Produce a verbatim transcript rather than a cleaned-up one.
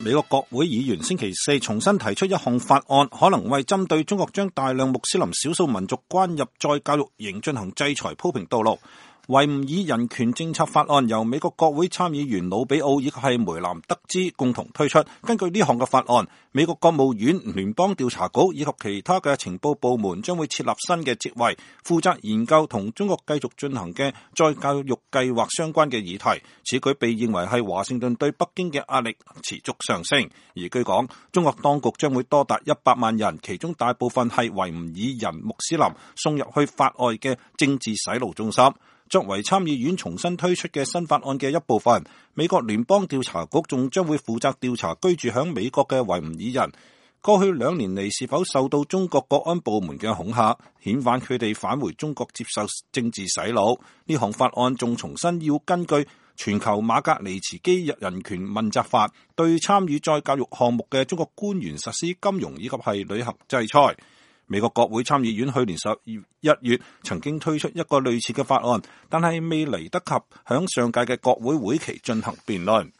美國國會議員星期四重新提出一項法案，可能為針對中國將大量穆斯林少數民族關入再教育營進行制裁鋪平道路。維吾爾人權政策法案由美國國會參議員魯比奧以及係梅南德茲共同推出。根據呢項嘅法案，美國國務院、聯邦調查局以及其他嘅情報部門將會設立新嘅職位，負責研究同中國繼續進行嘅再教育計劃相關嘅議題。此舉被認為係華盛頓對北京嘅壓力持續上升。而據講，中國當局將會多達一百萬人，其中大部分係維吾爾人穆斯林，送入去法外嘅政治洗腦中心。作為參議院重新推出嘅新法案嘅一部分，美國聯邦調查局仲將會負責調查居住響美國嘅維吾爾人過去兩年嚟是否受到中國國安部門嘅恐嚇，遣返佢哋返回中國接受政治洗腦。呢項法案仲重新要根據全球馬格尼茨基人權問責法，對參與再教育項目嘅中國官員實施金融以及係旅行制裁。美國國會參議院去年十一月曾經推出一個類似嘅法案，但係未嚟得及響上屆嘅國會會期進行辯論。